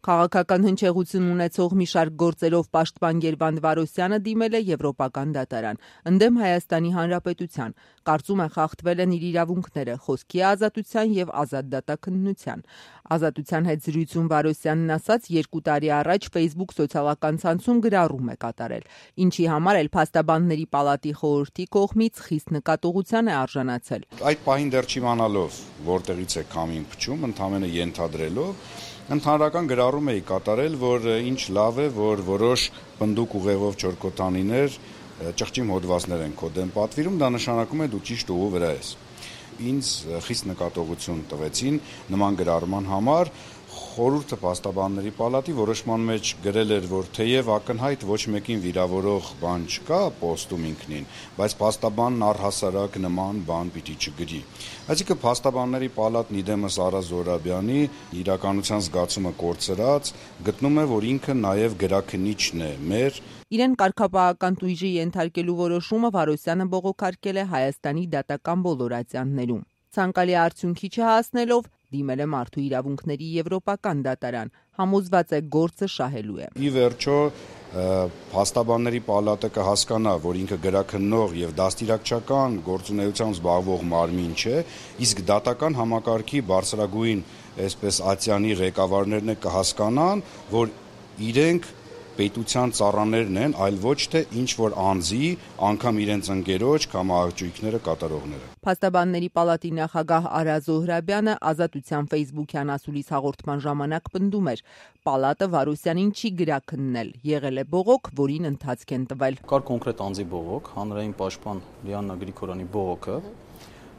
Քաղաքական հնչեղություն ունեցող մի շարք գործերով պաշտպան Գերվանդ Վարոսյանը դիմել է Եվրոպական դատարան, ընդդեմ Հայաստանի Հանրապետության, կարծում է խախտվել են իր իրավունքները խոսքի ազատության և ազատ դատաքննության։ Ազատության հետ զրույցում Վարոսյանն ասաց, 2 տարի առաջ Facebook սոցիալական ցանցում գրառում է կատարել, ինչի համար էլ Փաստաբանների պալատի խորհրդի կողմից խիստ նկատողության է արժանացել։ Այդ պահին դեռ չիմանալով որտեղից է քամին փչում, ընդհանրապես ենթադրելով, ընդհանրական գրառում էի կատարել, որ ինչ լավ է, որ որոշ պնդուկ ուղեղով չորքոտանիներ ճղճիմ հոդվածներ են քո դեմ պատվիրում, դա նշանակում է դու ճիշտ ուղու վրա ես։ Ինձ խիստ նկատողություն տվեցին նման գրառման համար։ Խորհուրդը Փաստաբանների պալատի որոշման մեջ գրել էր, որ թեև ակնհայտ ոչ մեկին վիրավորող բան չկա պոստում ինքնին, բայց փաստաբանն առհասարակ նման բան պիտի չգրի։ Այսինքն Փաստաբանների պալատն իդեմս Արա Զոհրաբյանի իրականության զգացումը կորցրած գտնում է, որ ինքը նաև գրաքննիչն է մեր։ Իրեն կարգապահական տույժի ենթարկելու որոշումը Վարոսյանը բողոքարկել է Հայաստանի դատական բոլոր ատյաններում։ Ցանկալի արդյունքի չհասնելով դիմել է Մարդու իրավունքների Եվրոպական դատարան, համոզված է գործը շահելու է։ Ի վերջո Փաստաբանների պալատը կհասկանա, որ ինքը գրաքննող եւ դաստիարակչական գործունեությամբ զբաղվող մարմին չէ, իսկ դատական համակարգի բարձրագույն այսպես ատյանի ղեկավարներն է կհասկանան, որ իրենք պետության ծառաներն են, այլ ոչ թե ինչ-որ անձի, անգամ իրենց ընկերոջ կամ աղջիկները կատարողները։ Փաստաբանների պալատի նախագահ Արա Զոհրաբյանը Ազատության Facebook-յան ասուլիս հաղորդման ժամանակ պնդում էր, պալատը Վարոսյանին չի գրաքննել, եղել է բողոք, որին ընթացք են տվել։ Կար կոնկրետ անձի բողոք, հանրային պաշտպան Լիաննա Գրիգորյանի բողոքը,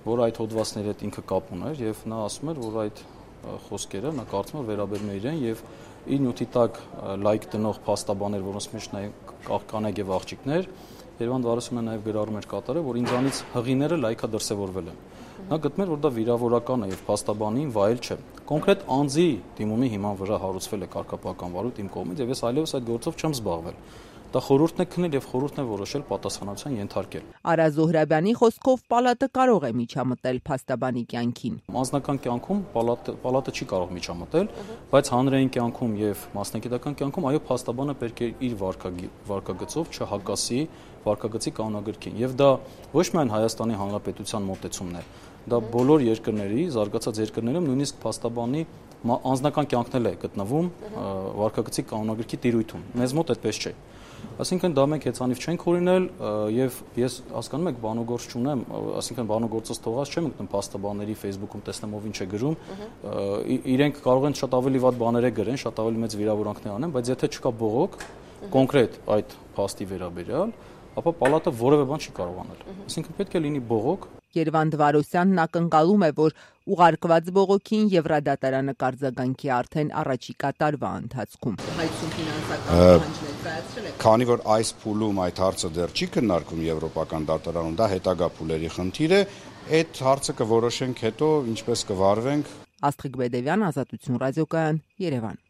որ այդ հոդվածների հետ ինքը կապ ուներ եւ նա ասում էր, որ այդ խոսքերը նա կարծում էր վերաբերում է իրեն եւ իր նյութի տակ լայք տնող փաստաբաններ, որոնց մեջ նաև կանայք եւ աղջիկներ, Գերվանդ Վարոսյանը նաև գրառում էր կատարել, որ ինձանից հղիները լայքա դրսևորվել են։ Նա գտնում էր, որ դա վիրավորական է եւ փաստաբանին վայել չէ։ Կոնկրետ անձի դիմումի հիման վրա հարուցվել է կարգապահական վարույթ իմ կողմից եւ ես այլևս այդ գործով չեմ զբաղվել։ Դա խորհուրդն է քննել եւ խորհուրդն է որոշել պատասխանատվության ենթարկել։ Արա Զոհրաբյանի խոսքով պալատը կարող է միջամտել փաստաբանի կյանքին։ Անձնական կյանքում պալատը չի կարող միջամտել, բայց հանրային կյանքում եւ մասնագիտական կյանքում այո փաստաբանը պետք է իր վարկագծով չհակասի վարկագծի կանոնագրքին։ Եվ դա ոչ միայն Հայաստանի Հանրապետության մոտեցումն է, դա բոլոր երկրների, զարգացած երկրներում նույնիսկ փաստաբանի անձնական կյանքն էլ է գտնվում վարկագծի կանոնագրքի տիրույթում։ Մեզ մոտ այդպես չէ։ Այսինքն դա մենք հեծանիվ չենք օրինել եւ ես հասկանում եք բանոգործ չունեմ, այսինքն բանոգործից թողած չեմ մտնում փաստաբանների Facebook-ում տեսնեմ ով ինչ է գրում, իրենք կարող են շատ ավելի վատ բաներ գրեն, շատ ավելի մեծ վիրավորանքներ անեն, բայց եթե չկա բողոք կոնկրետ այդ փաստի վերաբերյալ, ապա պալատը որևէ բան չի կարող անել։ Այսինքն պետք է լինի բողոք։ Գերվանդ Վարոսյանն ակնկալում է, որ ուղարկված բողոքին Եվրադատարանը կարձագանքի արդեն առաջիկա տարվա ընթացքում։ Քանի որ այս փուլում այդ հարցը դեռ չի քննարկվում Եվրոպական դատարանում, դա հետագա փուլերի խնդիր է, այդ հարցը կորոշենք հետո ինչպես կվարվենք։ Աստղիկ Բեդևյան, Ազատություն ռադիոկայան, Երևան։